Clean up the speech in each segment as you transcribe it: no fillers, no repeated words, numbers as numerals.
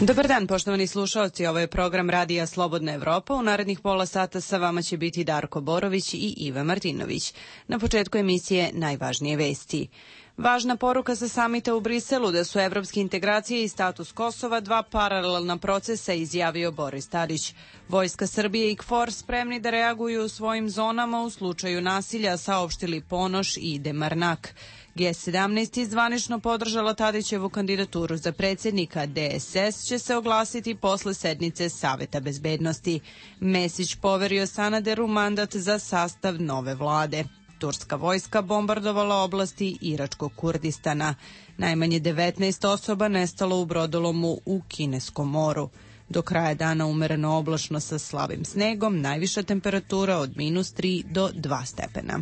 Dobar dan, poštovani slušaoci, ovo je program Radija Slobodna Evropa. U narednih pola sata sa vama će biti Darko Borović i Iva Martinović. Na početku emisije najvažnije vesti. Važna poruka sa samita u Briselu da su evropske integracije i status Kosova dva paralelna procesa, izjavio Boris Tadić. Vojska Srbije i KFOR spremni da reaguju u svojim zonama u slučaju nasilja, saopštili Ponoš i Demarnak. G17 zvanično podržala Tadićevu kandidaturu za predsjednika. DSS će se oglasiti posle sednice Saveta bezbednosti. Mesić poverio Sanaderu mandat za sastav nove vlade. Turska vojska bombardovala oblasti Iračkog Kurdistana. Najmanje 19 osoba nestalo u brodolomu u Kineskom moru. Do kraja dana umereno oblačno sa slabim snegom, najviša temperatura od -3 do 2 stepena.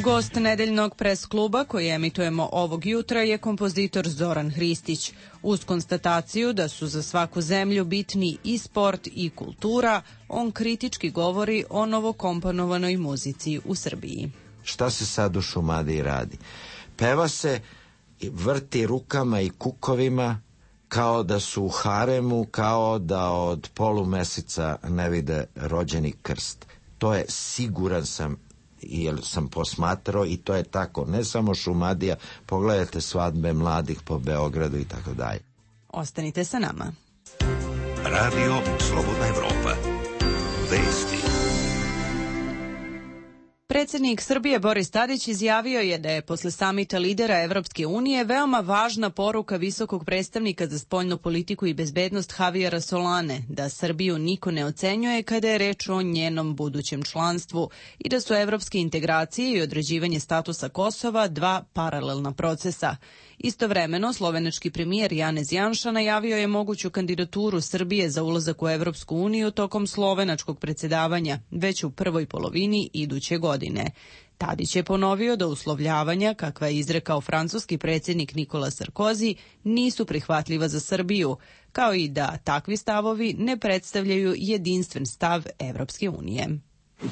Gost nedeljnog pres kluba koji emitujemo ovog jutra je kompozitor Zoran Hristić. Uz konstataciju da su za svaku zemlju bitni i sport i kultura, on kritički govori o novokomponovanoj muzici u Srbiji. Šta se sad u Šumadiji radi? Peva se, vrti rukama i kukovima kao da su u haremu, kao da od polumeseca ne vide rođeni krst. To je, siguran sam, jer sam posmatrao, i to je tako, ne samo Šumadija, pogledajte svadbe mladih po Beogradu i tako dalje. Ostanite sa nama. Radio Slobodna Evropa. Vesti. Predsjednik Srbije Boris Tadić izjavio je da je posle samita lidera Evropske unije veoma važna poruka visokog predstavnika za spoljnu politiku i bezbednost Javijera Solane, da Srbiju niko ne ocenjuje kada je reč o njenom budućem članstvu i da su evropske integracije i određivanje statusa Kosova dva paralelna procesa. Istovremeno, slovenački premijer Janez Janša najavio je moguću kandidaturu Srbije za ulazak u Evropsku uniju tokom slovenačkog predsjedavanja, već u prvoj polovini iduće godine. Tadić je ponovio da uslovljavanja, kakva je izrekao francuski predsjednik Nikola Sarkozy, nisu prihvatljiva za Srbiju, kao i da takvi stavovi ne predstavljaju jedinstven stav Evropske unije.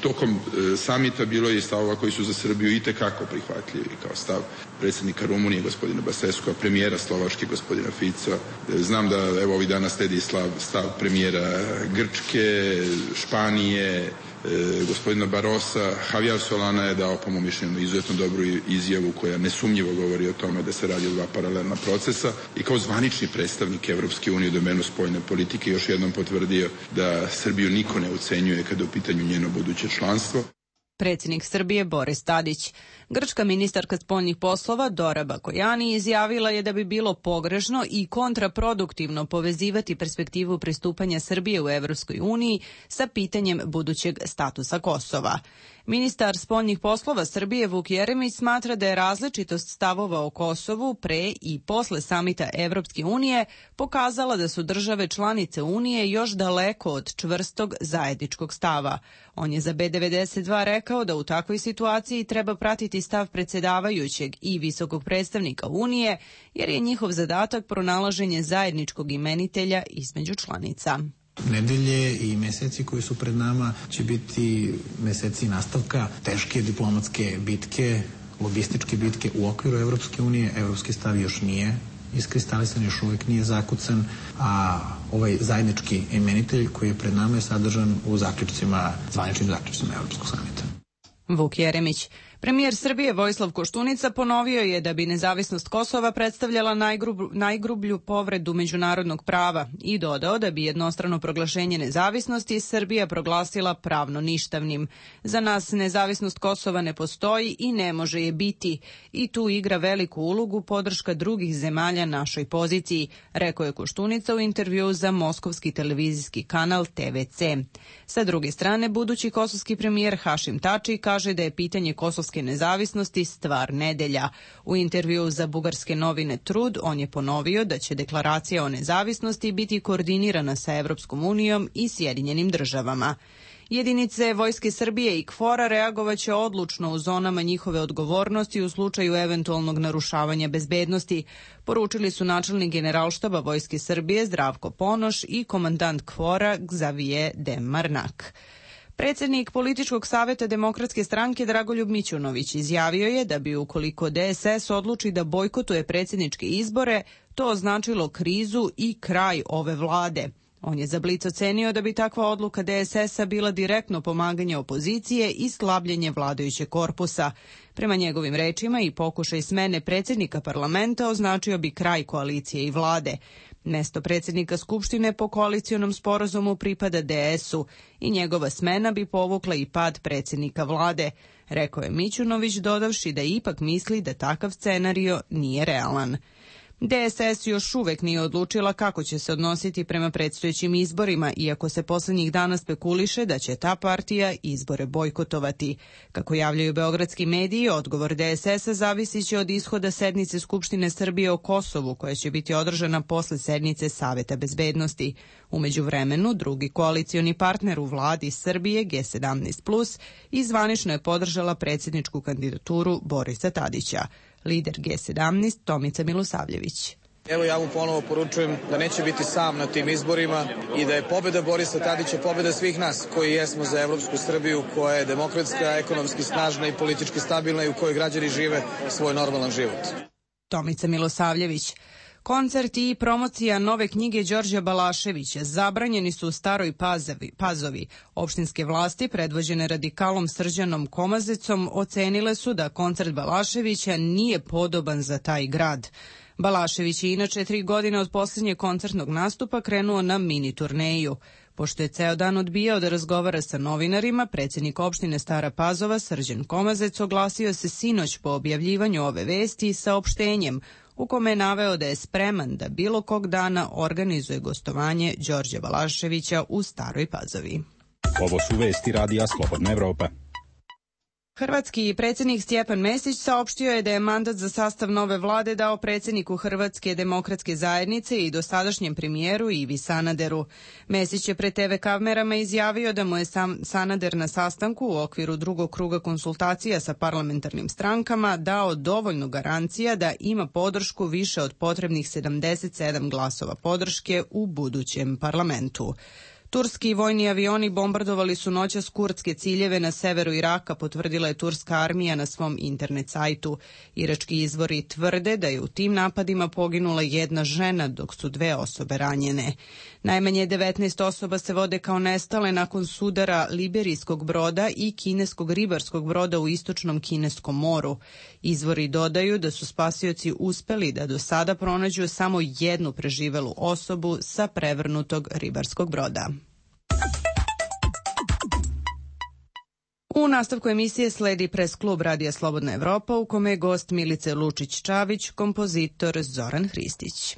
Tokom samita bilo je stavova koji su za Srbiju itekako prihvatljivi, kao stav predsjednika Rumunije gospodina Baseskoa, premijera Slovačke gospodina Fica. Znam da evo ovih dana sledi stav premijera Grčke, Španije, gospodina Barosa. Javier Solana je dao, po mom mišljenju, izuzetno dobru izjavu koja nesumnjivo govori o tome da se radi o dva paralelna procesa, i kao zvanični predstavnik Evropske unije u domenu spoljne politike još jednom potvrdio da Srbiju niko ne ucenjuje kada je u pitanju njeno buduće članstvo. Predsjednik Srbije Boris Tadić. Grčka ministarka spoljnih poslova Dora Bakojani izjavila je da bi bilo pogrešno i kontraproduktivno povezivati perspektivu pristupanja Srbije u Evropskoj uniji sa pitanjem budućeg statusa Kosova. Ministar spoljnih poslova Srbije Vuk Jeremić smatra da je različitost stavova o Kosovu pre i posle samita Evropske unije pokazala da su države članice Unije još daleko od čvrstog zajedničkog stava. On je za B92 rekao da u takvoj situaciji treba pratiti stav predsjedavajućeg i visokog predstavnika Unije, jer je njihov zadatak pronalaženje zajedničkog imenitelja između članica. Nedelje i meseci koji su pred nama će biti meseci nastavka teške diplomatske bitke, lobističke bitke u okviru Evropske unije. Evropski stav još nije iskristalisan, još uvijek nije zakucan, a ovaj zajednički imenitelj koji je pred nama je sadržan u zvaničnim zaključcima Evropskog samita. Vuk Jeremić. Premijer Srbije Vojislav Koštunica ponovio je da bi nezavisnost Kosova predstavljala najgrublju povredu međunarodnog prava i dodao da bi jednostrano proglašenje nezavisnosti Srbija proglasila pravno ništavnim. Za nas nezavisnost Kosova ne postoji i ne može je biti, i tu igra veliku ulogu podrška drugih zemalja našoj poziciji, rekao je Koštunica u intervjuu za moskovski televizijski kanal TVC. Sa druge strane, budući kosovski premijer Hašim Tači kaže da je pitanje kosovske bugarske nezavisnosti stvar nedelja. U intervjuu za bugarske novine Trud on je ponovio da će deklaracija o nezavisnosti biti koordinirana sa Evropskom unijom i Sjedinjenim državama. Jedinice Vojske Srbije i KFOR-a reagovaće odlučno u zonama njihove odgovornosti u slučaju eventualnog narušavanja bezbednosti, poručili su načelnik Generalštaba Vojske Srbije Zdravko Ponoš i komandant KFOR-a Xavier Demarnak. Predsjednik Političkog saveta Demokratske stranke Dragoljub Mićunović izjavio je da bi ukoliko DSS odluči da bojkotuje predsjedničke izbore, to označilo krizu i kraj ove vlade. On je za Blic ocenio da bi takva odluka DSS-a bila direktno pomaganje opozicije i slabljenje vladajućeg korpusa. Prema njegovim rečima i pokušaj smene predsjednika parlamenta označio bi kraj koalicije i vlade. Mesto predsjednika Skupštine po koalicionom sporazumu pripada DS-u i njegova smena bi povukla i pad predsjednika vlade, rekao je Mićunović dodavši da ipak misli da takav scenario nije realan. DSS još uvek nije odlučila kako će se odnositi prema predstojećim izborima, iako se poslednjih dana spekuliše da će ta partija izbore bojkotovati. Kako javljaju beogradski mediji, odgovor DSS-a zavisit će od ishoda sednice Skupštine Srbije o Kosovu, koja će biti održana posle sednice Saveta bezbednosti. U međuvremenu, drugi koalicioni partner u vladi Srbije, G17+, izvanično je podržala predsjedničku kandidaturu Borisa Tadića. Lider G17, Tomica Milosavljević. Evo ja mu ponovo poručujem da neće biti sam na tim izborima i da je pobjeda Borisa Tadića pobjeda svih nas koji jesmo za evropsku Srbiju, koja je demokratska, ekonomski snažna i politički stabilna i u kojoj građani žive svoj normalan život. Tomica Milosavljević. Koncert i promocija nove knjige Đorđa Balaševića zabranjeni su u Staroj Pazovi. Opštinske vlasti, predvođene radikalom Srđanom Komazecom, ocenile su da koncert Balaševića nije podoban za taj grad. Balašević je inače 3 godine od posljednjeg koncertnog nastupa krenuo na mini turneju. Pošto je ceo dan odbijao da razgovara sa novinarima, predsjednik opštine Stara Pazova Srđan Komazec oglasio se sinoć po objavljivanju ove vesti saopštenjem u kome je naveo da je spreman da bilo kog dana organizuje gostovanje Đorđa Balaševića u Staroj Pazovi. Ovo su vesti Radija Slobodna Evropa. Hrvatski predsjednik Stjepan Mesić saopštio je da je mandat za sastav nove vlade dao predsjedniku Hrvatske demokratske zajednice i dosadašnjem premijeru Ivi Sanaderu. Mesić je pred TV kamerama izjavio da mu je Sanader na sastanku u okviru drugog kruga konsultacija sa parlamentarnim strankama dao dovoljno garancija da ima podršku više od potrebnih 77 glasova podrške u budućem parlamentu. Turski vojni avioni bombardovali su noćas kurdske ciljeve na severu Iraka, potvrdila je turska armija na svom internet sajtu. Irački izvori tvrde da je u tim napadima poginula jedna žena, dok su 2 osobe ranjene. Najmanje 19 osoba se vode kao nestale nakon sudara liberijskog broda i kineskog ribarskog broda u istočnom Kineskom moru. Izvori dodaju da su spasioci uspeli da do sada pronađu samo jednu preživelu osobu sa prevrnutog ribarskog broda. U nastavku emisije sledi pres klub Radija Slobodna Evropa u kome je gost Milice Lučić-Čavić, kompozitor Zoran Hristić.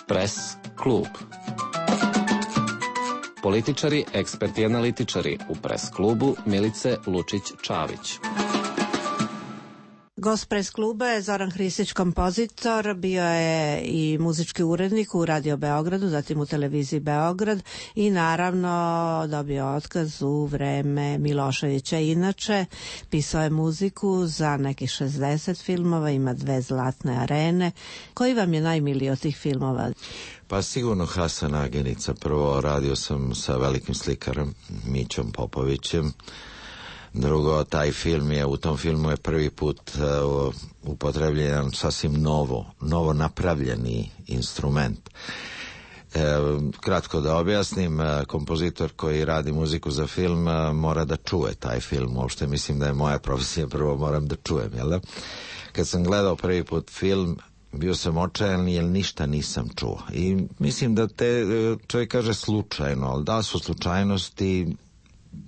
Pres klub. Političari, eksperti i analitičari u pres klubu Milice Lučić-Čavić. Gost pres kluba je Zoran Hristić, kompozitor, bio je i muzički urednik u Radio Beogradu, zatim u televiziji Beograd i naravno dobio otkaz u vreme Miloševića. Inače, pisao je muziku za nekih 60 filmova, ima 2 zlatne arene. Koji vam je najmiliji od tih filmova? Pa sigurno Hasan Agenica. Prvo radio sam sa velikim slikarom Mićom Popovićem. Drugo, taj film je, u tom filmu je prvi put upotrebljen sasvim novo napravljeni instrument. Kratko da objasnim, kompozitor koji radi muziku za film mora da čuje taj film. Uopšte mislim da je moja profesija, prvo moram da čujem, jel da? Kad sam gledao prvi put film, bio sam očajan jer ništa nisam čuo. I mislim da čovjek kaže slučajno, ali da su slučajnosti,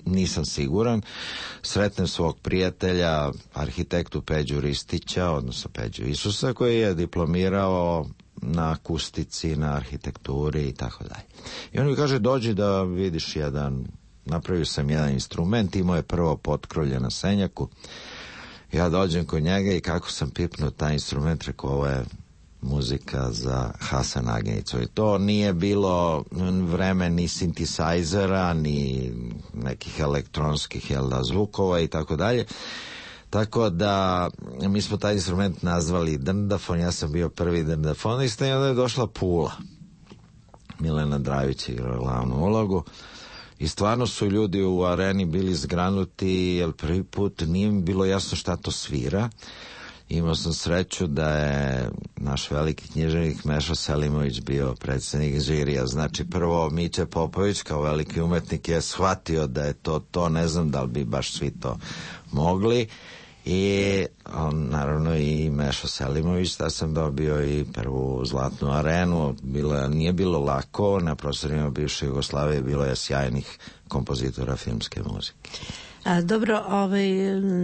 nisam siguran. Sretnem svog prijatelja, arhitektu Peđu Ristića, odnosno Peđu Isusa, koji je diplomirao na akustici, na arhitekturi i tako dalje. I on mi kaže, dođi da vidiš napravio sam jedan instrument, imao je prvo potkrolje na Senjaku, ja dođem kod njega i kako sam pipnuo taj instrument, rekao, ovo je muzika za Hasan Aginicu. I to nije bilo vreme ni sintisajzera, ni nekih elektronskih zvukova i tako dalje. Tako da mi smo taj instrument nazvali drndafon, ja sam bio prvi drndafonista i onda je došla Pula. Milena Dravić igrala glavnu ulogu i stvarno su ljudi u areni bili zgranuti, jer prvi put nije mi bilo jasno šta to svira. Imao sam sreću da je naš veliki književnik Meša Selimović bio predsjednik žirija. Znači prvo Miće Popović kao veliki umetnik je shvatio da je to, ne znam da li bi baš svi to mogli. I on, naravno i Meša Selimović, da sam dobio i prvu zlatnu arenu. Nije bilo lako, na prostorima bivše Jugoslavije bilo je sjajnih kompozitora filmske muzike. Dobro,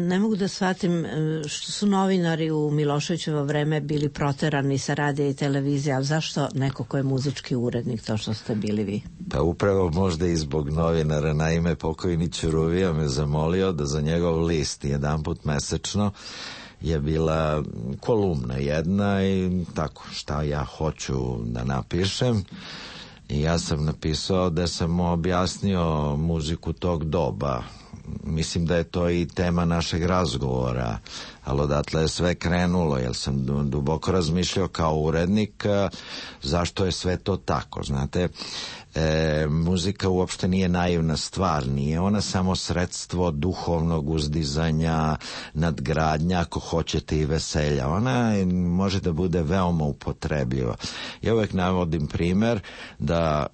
ne mogu da shvatim što su novinari u Miloševićevo vreme bili proterani sa radija i televizije, ali zašto neko ko je muzički urednik, to što ste bili vi? Pa upravo možda i zbog novinara. Naime, pokojni Ćuruvija me zamolio da za njegov list jedanput mesečno je bila kolumna jedna i tako šta ja hoću da napišem. I ja sam napisao da sam objasnio muziku tog doba. Mislim da je to i tema našeg razgovora, ali odatle je sve krenulo, jer sam duboko razmišljao kao urednik zašto je sve to tako. Znate, muzika uopšte nije naivna stvar, nije ona samo sredstvo duhovnog uzdizanja, nadgradnja, ako hoćete i veselja. Ona može da bude veoma upotrebljiva. Ja uvek navodim primer da,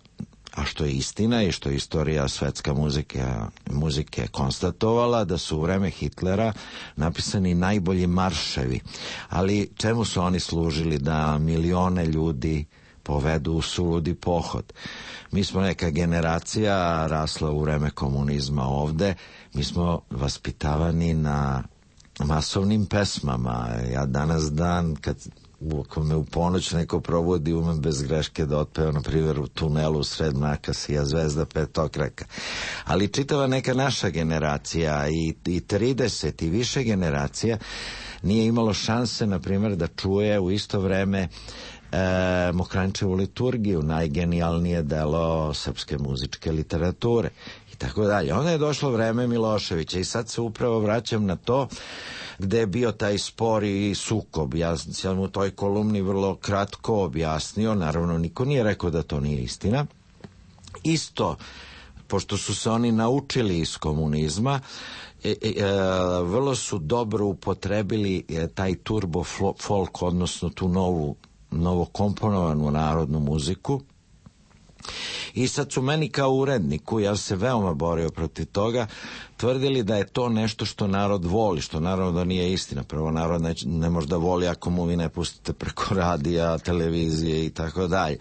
a što je istina i što je istorija svetska muzike konstatovala, da su u vreme Hitlera napisani najbolji marševi. Ali čemu su oni služili? Da milione ljudi povedu u suludi pohod. Mi smo neka generacija rasla u vreme komunizma ovde, mi smo vaspitavani na masovnim pesmama. Ja danas dan, ako me u ponoć neko provodi, umem bez greške da otpeva, na primjer, u tunelu u sred mraka sija zvezda petokraka. Ali čitava neka naša generacija i 30 i više generacija nije imalo šanse, na primjer, da čuje u isto vreme Mokranjčevu liturgiju, najgenijalnije delo srpske muzičke literature i tako dalje. Onda je došlo vreme Miloševića i sad se upravo vraćam na to gde je bio taj spor i sukob. Ja sam u toj kolumni vrlo kratko objasnio, naravno niko nije rekao da to nije istina. Isto, pošto su se oni naučili iz komunizma, vrlo su dobro upotrebili taj turbo folk, odnosno tu novo komponovanu narodnu muziku. I sad su meni kao uredniku, ja se veoma borio protiv toga, tvrdili da je to nešto što narod voli, što naravno da nije istina. Prvo, narod ne može da voli ako mu vi ne pustite preko radija, televizije i tako dalje.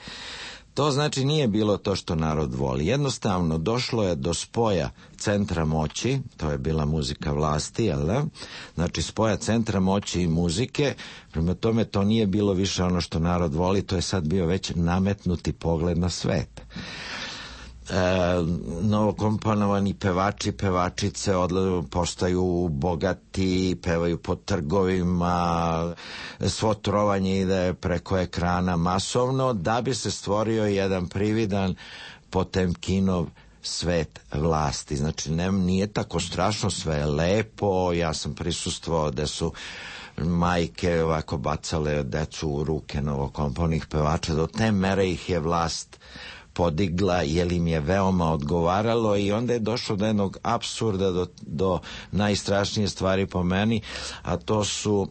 To znači nije bilo to što narod voli. Jednostavno došlo je do spoja centra moći, to je bila muzika vlasti, jel da? Znači spoja centra moći i muzike, prema tome to nije bilo više ono što narod voli, to je sad bio već nametnuti pogled na svet. Novokomponovani pevači, pevačice postaju bogati, pevaju po trgovima, svo trovanje ide preko ekrana masovno, da bi se stvorio jedan prividan Potemkinov svet vlasti. Znači nije tako strašno, sve je lepo. Ja sam prisustvovao da su majke ovako bacale decu u ruke novokomponih pevača, do te mere ih je vlast podigla, jer im je veoma odgovaralo, i onda je došlo do jednog apsurda, do najstrašnije stvari po meni, a to su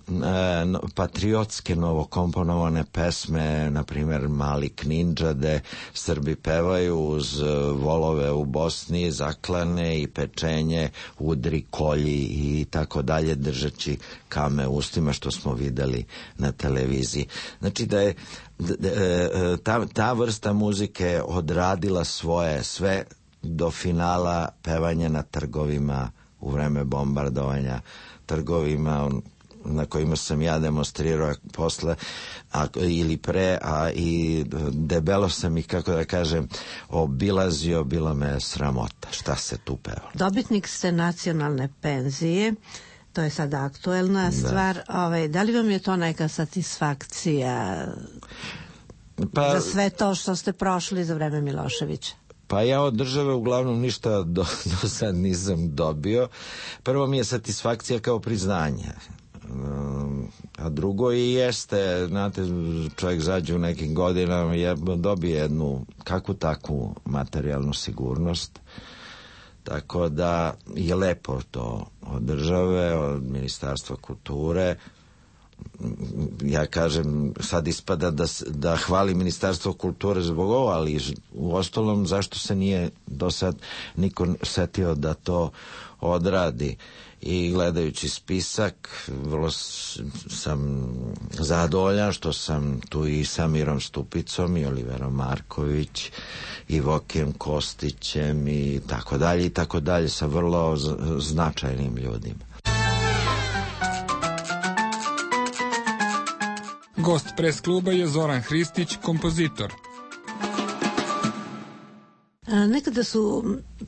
patriotske novokomponovane pesme, na primjer Mali Knindža, gde Srbi pevaju uz volove u Bosni, zaklane i pečenje, udri, kolji i tako dalje, držeći kame ustima, što smo videli na televiziji. Znači da je ta vrsta muzike odradila svoje sve do finala pevanja na trgovima u vreme bombardovanja, trgovima na kojima sam ja demonstrirao posle ili pre, a i debelo sam ih, kako da kažem, obilazio, bilo me sramota. Šta se tu pevalo? Dobitnik ste nacionalne penzije, to je sada aktuelna stvar. Da li vam je to neka satisfakcija za sve to što ste prošli za vreme Miloševića? Pa ja od države uglavnom ništa do sad nisam dobio. Prvo mi je satisfakcija kao priznanje. A drugo i jeste, znate, čovjek zađe u nekim godinama i dobije jednu kakvu takvu materijalnu sigurnost. Tako da je lepo to od države, od Ministarstva kulture. Ja kažem, sad ispada da hvali Ministarstvo kulture zbog ovo, ali u ostalom zašto se nije do sad niko setio da to odradi. I gledajući spisak, vrlo sam zadovoljan što sam tu i sa Mirom Stupicom i Oliverom Marković i Vokijem Kostićem i tako dalje, sa vrlo značajnim ljudima. Gost pres kluba je Zoran Hristić, kompozitor. Nekada su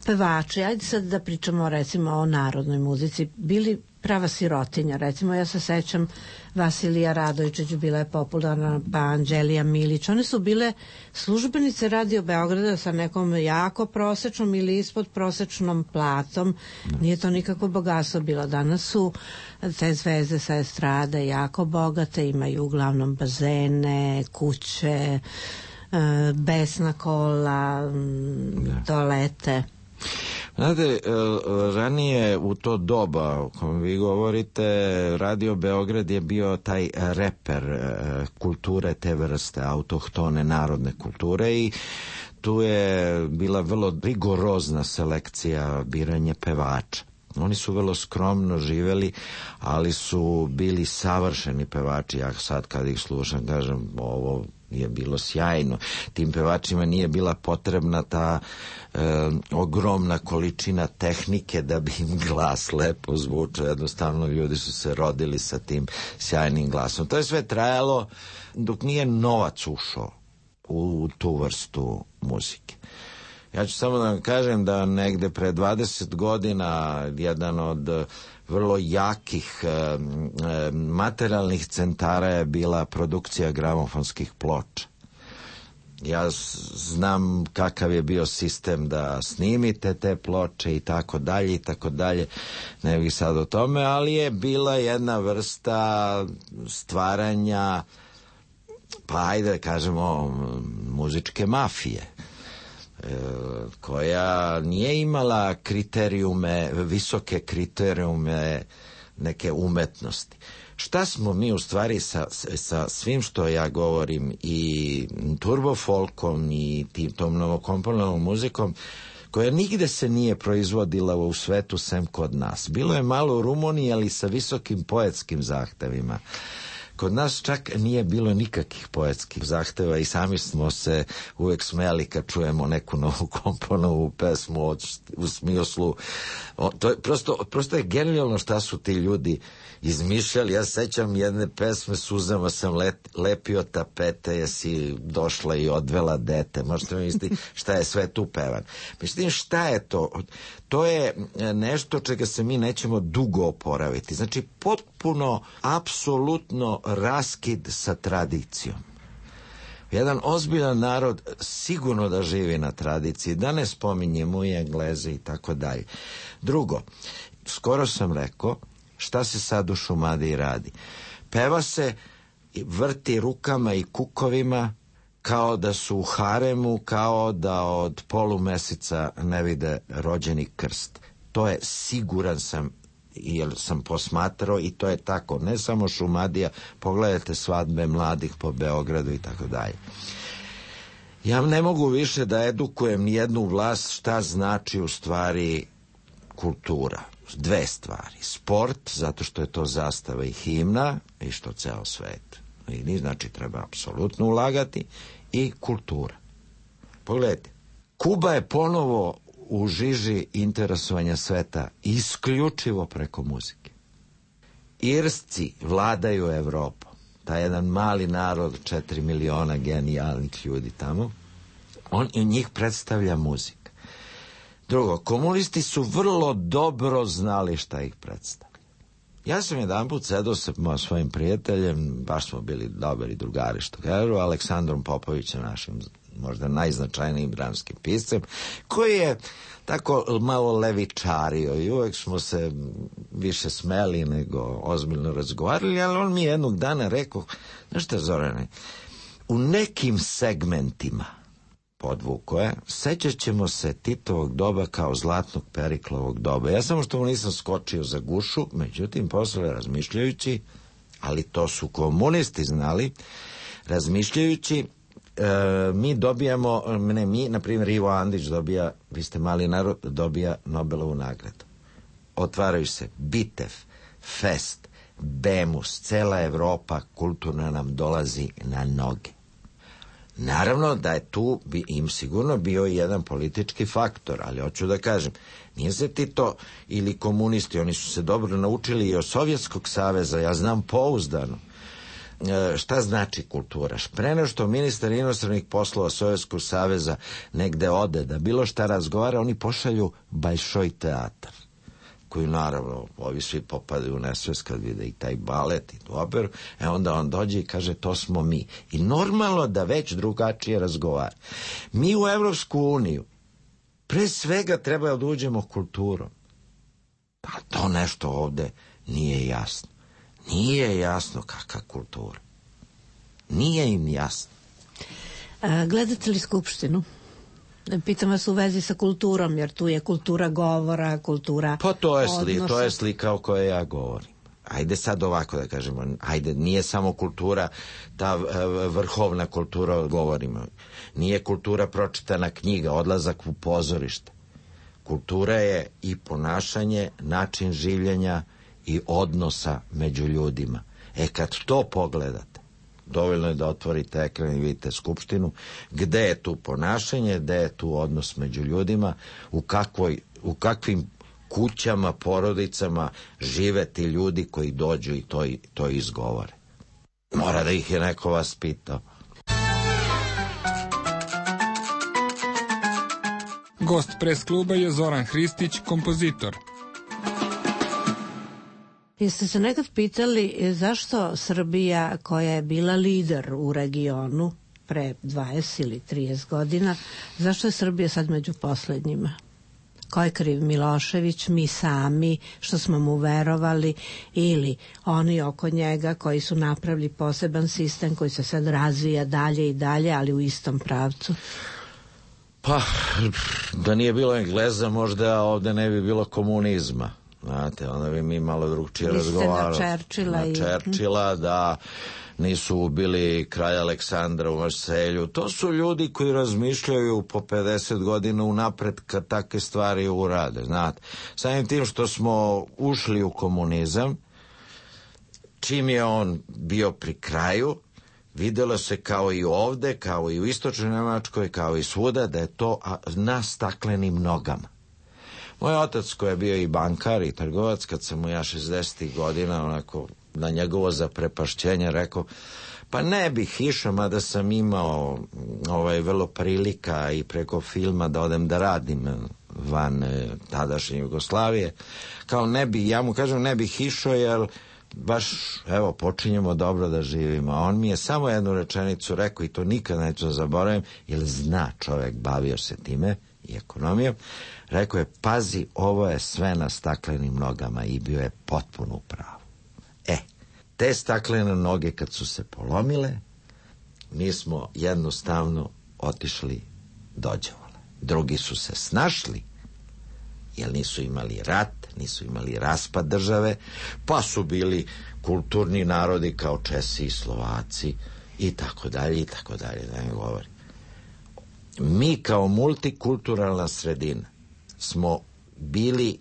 pevači, ajde sad da pričamo recimo o narodnoj muzici, bili prava sirotinja. Recimo ja se sećam Vasilija Radojičić, bila je popularna, pa Anđelija Milić. One su bile službenice Radio Beograda sa nekom jako prosečnom ili ispod prosečnom platom. Nije to nikako bogatstvo bilo. Danas su te zvezde sa estrade jako bogate, imaju uglavnom bazene, kuće, besna kola, toalete. Znate, ranije u to doba o kojem vi govorite, Radio Beograd je bio taj reper kulture te vrste, autohtone narodne kulture, i tu je bila vrlo rigorozna selekcija biranja pevača. Oni su vrlo skromno živeli, ali su bili savršeni pevači. Ja sad kad ih slušam kažem, ovo je bilo sjajno. Tim pevačima nije bila potrebna ta ogromna količina tehnike da bi im glas lepo zvučao. Jednostavno ljudi su se rodili sa tim sjajnim glasom. To je sve trajalo dok nije novac ušao u tu vrstu muzike. Ja ću samo da vam kažem da negde pre 20 godina jedan od vrlo jakih materijalnih centara je bila produkcija gramofonskih ploča. Ja znam kakav je bio sistem da snimite te ploče i tako dalje, ne bih sad o tome, ali je bila jedna vrsta stvaranja, pa ajde kažemo, muzičke mafije, koja nije imala kriterijume, visoke kriterijume neke umetnosti. Šta smo mi u stvari sa svim što ja govorim, i turbofolkom i tom novokomponovanom muzikom, koja nigde se nije proizvodila u svetu sem kod nas. Bilo je malo u Rumuniji, ali sa visokim poetskim zahtevima. Kod nas čak nije bilo nikakvih poetskih zahteva i sami smo se uvek smejali kad čujemo neku novu komponovu pesmu u smislu. To je prosto je genijalno šta su ti ljudi izmišljali. Ja sećam jedne pesme, suzama sam lepio tapete, jesi došla i odvela dete. Možete mi misliti šta je sve tu pevan. Mislim, šta je to? To je nešto čega se mi nećemo dugo oporaviti. Znači, potpuno, apsolutno raskid sa tradicijom. Jedan ozbiljan narod sigurno da živi na tradiciji, da ne spominjemo i Engleze i tako dalje. Drugo, skoro sam rekao, šta se sad u Šumadiji radi? Peva se, vrti rukama i kukovima kao da su u haremu, kao da od polumeseca ne vide rođeni krst. To je, siguran sam, jer sam posmatrao, i to je tako. Ne samo Šumadija, pogledajte svadbe mladih po Beogradu i tako dalje. Ja ne mogu više da edukujem nijednu vlast šta znači u stvari kultura. Dve stvari. Sport, zato što je to zastava i himna, i što ceo svet vidi, znači treba apsolutno ulagati, i kultura. Pogledajte, Kuba je ponovo u žiži interesovanja sveta isključivo preko muzike. Irsci vladaju Evropom. Taj jedan mali narod, 4 miliona genijalnih ljudi tamo, njih predstavlja muzika. Drugo, komunisti su vrlo dobro znali šta ih predstavlja. Ja sam jedanput sedao sa svojim prijateljem, baš smo bili dobri drugari, što kažu, Aleksandrom Popovićem, našim možda najznačajnijim dramskim piscem, koji je tako malo levičario i uvek smo se više smeli nego ozbiljno razgovarali, ali on mi jednog dana rekao, znaš šta, Zorane, u nekim segmentima, podvuko je, sećat ćemo se Titovog doba kao zlatnog Periklovog doba. Ja samo što mu nisam skočio za gušu, međutim, posle razmišljajući, ali to su komunisti znali, razmišljajući, mi dobijamo, na primjer Ivo Andrić dobija, vi ste mali narod, dobija Nobelovu nagradu. Otvaraju se Bitev, Fest, Bemus, cela Evropa kulturna nam dolazi na noge. Naravno da je tu im sigurno bio i jedan politički faktor, ali hoću da kažem, nije se Tito ili komunisti, oni su se dobro naučili i od Sovjetskog saveza, ja znam pouzdano. Šta znači kultura? Pre nego što ministar inostranih poslova Sovjetskog saveza negde ode da bilo šta razgovara, oni pošalju Bajšoj teatar, koji naravno ovi svi popadaju u nesvest kad vide i taj balet i tu operu, onda on dođe i kaže to smo mi. I normalno da već drugačije razgovara. Mi u Evropsku uniju pre svega treba da uđemo kulturom. Pa to nešto ovde nije jasno. Nije jasno kakva kultura. Nije im jasno. Gledate li Skupštinu? Pitam vas u vezi sa kulturom, jer tu je kultura govora, kultura pa to je odnosa. slika o kojoj ja govorim. Ajde sad ovako da kažemo, ajde, nije samo kultura, ta vrhovna kultura govorimo. Nije kultura pročitana knjiga, odlazak u pozorište. Kultura je i ponašanje, način življenja i odnosa među ljudima. Kad to pogledate, dovoljno je da otvorite ekran i vidite Skupštinu, gde je tu ponašanje, gde je tu odnos među ljudima, u kakvim kućama, porodicama žive ti ljudi koji dođu i to izgovore. Mora da ih je neko vaspitao. Gost Pres kluba je Zoran Hristić, kompozitor. Jeste se nekad pitali zašto Srbija, koja je bila lider u regionu pre 20 ili 30 godina, zašto je Srbija sad među poslednjima? Ko je kriv? Milošević, mi sami, što smo mu verovali, ili oni oko njega koji su napravili poseban sistem koji se sad razvija dalje i dalje, ali u istom pravcu? Pa, da nije bilo Engleza, možda ovde ne bi bilo komunizma. Znate, onda bi mi malo drugčije razgovarali. Na Churchilla, da nisu ubili kralja Aleksandra u Marselju. To su ljudi koji razmišljaju po 50 godina unapred kad takve stvari urade, znate. Samim tim što smo ušli u komunizam, čim je on bio pri kraju, videlo se kao i ovde, kao i u istočnoj Nemačkoj, kao i svuda, da je to na staklenim nogama. Moj otac, koji je bio i bankar i trgovac, kad sam mu ja 60. godina onako na njegovo zaprepašćenje rekao, pa ne bih išao, mada sam imao vrlo prilika i preko filma da odem da radim van tadašnje Jugoslavije, kao ne bi, ja mu kažem ne bih išao jer baš, evo, počinjemo dobro da živimo. A on mi je samo jednu rečenicu rekao i to nikad neću zaboravim, jer zna čovek, bavio se time i ekonomijom. Rekao je, pazi, ovo je sve na staklenim nogama, i bio je potpuno u pravu. Te staklene noge kad su se polomile, mi smo jednostavno otišli dođevole. Drugi su se snašli, jer nisu imali rat, nisu imali raspad države, pa su bili kulturni narodi kao Česi i Slovaci i tako dalje, da ne govorim. Mi kao multikulturalna sredina smo bili,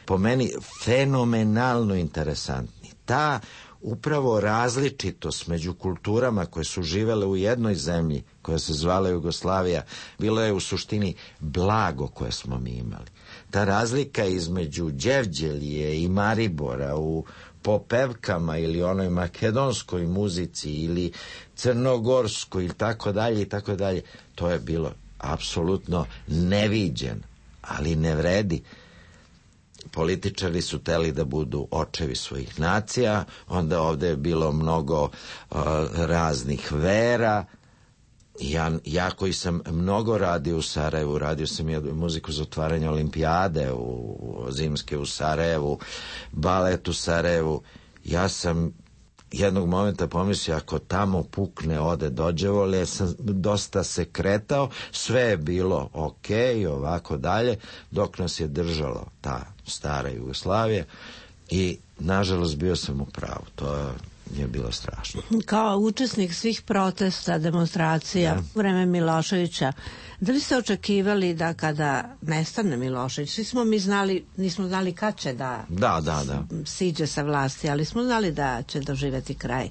po meni, fenomenalno interesantni. Ta upravo različitost među kulturama koje su živele u jednoj zemlji koja se zvala Jugoslavija, bilo je u suštini blago koje smo mi imali. Ta razlika između Đevđelije i Maribora u popevkama ili onoj makedonskoj muzici ili crnogorskoj ili tako dalje, to je bilo apsolutno neviđen, ali ne vredi. Političari su teli da budu očevi svojih nacija, onda ovde je bilo mnogo raznih vera. Ja koji sam mnogo radio u Sarajevu, radio sam i muziku za otvaranje olimpijade zimske u Sarajevu, balet u Sarajevu. Ja sam jednog momenta pomislio, ako tamo pukne, ode dođevole, ja sam dosta se kretao, sve je bilo ok, ovako dalje, dok nas je držalo ta stara Jugoslavija i nažalost bio sam u pravu. To je bilo strašno. Kao učesnik svih protesta, demonstracija u vreme Miloševića, da li ste očekivali da kada nestane Milošević, svi smo mi znali, nismo znali kad će da siđe sa vlasti, ali smo znali da će doživeti kraj.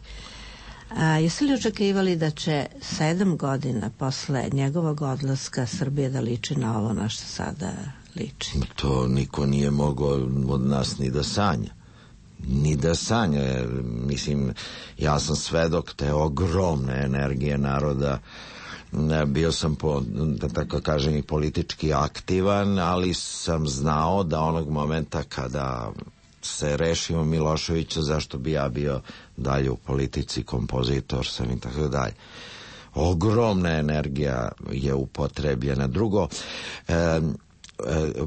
Jeste li očekivali da će 7 godina posle njegovog odlaska Srbije da liči na ovo na što sada liči? To niko nije mogao od nas ni da sanja. Mislim, ja sam svedok te ogromne energije naroda. Bio sam, da tako kažem, i politički aktivan, ali sam znao da onog momenta kada se rešimo Miloševića, zašto bi ja bio dalje u politici, kompozitor sam i tako dalje. Ogromna energija je upotrebljena. Drugo,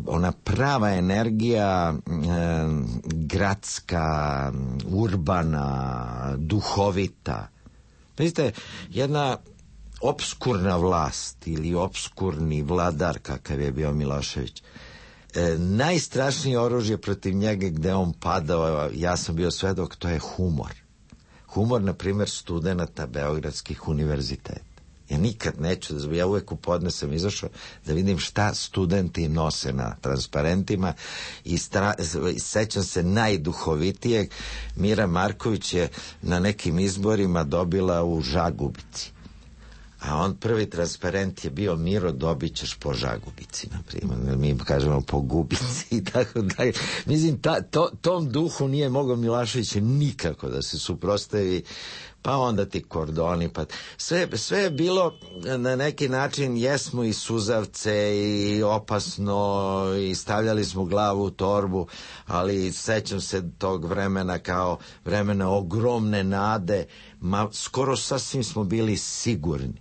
ona prava energija gradska, urbana, duhovita. Vidite, jedna opskurna vlast ili opskurni vladar kakav je bio Milošević, najstrašnije oružje protiv njega gde on padao, ja sam bio svedok, to je humor. Humor, na primjer, studenata beogradskih univerziteta. Ja nikad neću, ja uvek u podne sam izašao da vidim šta studenti nose na transparentima i sećam se najduhovitijeg. Mira Marković je na nekim izborima dobila u Žagubici. A on prvi transparent je bio Miro, dobit ćeš po Žagubici, na primjer. Mi kažemo po Gubici i tako dalje. Mislim, tom duhu nije mogao Milošević nikako da se suprotstavi. Pa onda ti kordoni, pa sve je bilo na neki način, jesmo i suzavce i opasno i stavljali smo glavu u torbu, ali sećam se tog vremena kao vremena ogromne nade, skoro sasvim smo bili sigurni.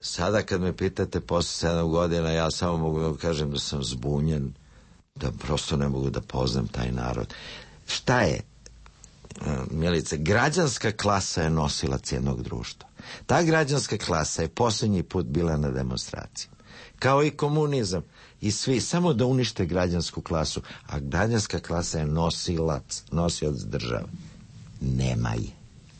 Sada kad me pitate posle 7 godina, ja samo mogu da kažem da sam zbunjen, da prosto ne mogu da poznam taj narod. Šta je? Milice, građanska klasa je nosilac jednog društva. Ta građanska klasa je posljednji put bila na demonstraciji. Kao i komunizam. I svi, samo da unište građansku klasu. A građanska klasa je nosilac države. Nema je.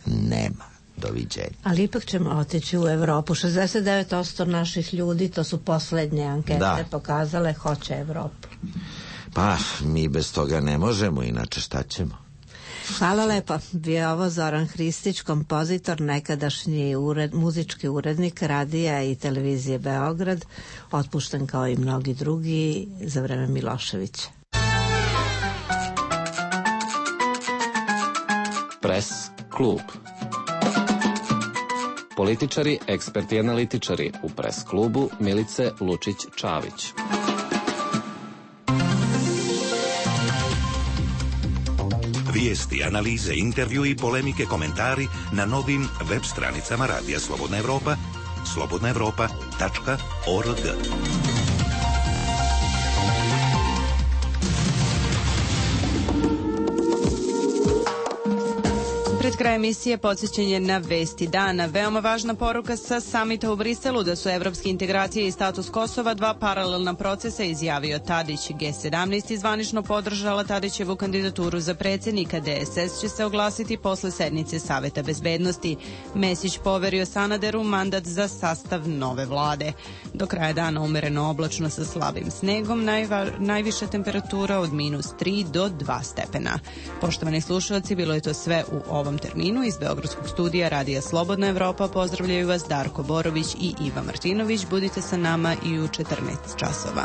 Nema. Doviđenja. Ali ipak ćemo otići u Evropu. 69% naših ljudi, to su poslednje ankete pokazale, hoće Evropu. Pa, mi bez toga ne možemo, inače šta ćemo? Hvala lepo. Bio je ovo Zoran Hristić, kompozitor, nekadašnji muzički urednik radija i televizije Beograd, otpušten kao i mnogi drugi za vreme Miloševića. Pres klub. Političari, eksperti i analitičari u Pres klubu Milice Lučić-Čavić. Vijesti, analize, intervju i polemike, komentari na novim web stranicama Radija Slobodna Evropa, slobodnaevropa.org. Pred kraj emisije podsjećanje na vesti dana. Veoma važna poruka sa samita u Briselu da su evropske integracije i status Kosova dva paralelna procesa, izjavio Tadić. G17 izvanično podržala Tadićevu kandidaturu za predsjednika. DSS će se oglasiti posle sednice Saveta bezbednosti. Mesić poverio Sanaderu mandat za sastav nove vlade. Do kraja dana umereno oblačno sa slabim snegom, najviša temperatura od -3 do 2 stepena. Poštovani slušalci, bilo je to sve u ovom terminu. Iz Beogradskog studija Radija Slobodna Evropa pozdravljaju vas Darko Borović i Iva Martinović. Budite sa nama i u 14 časova.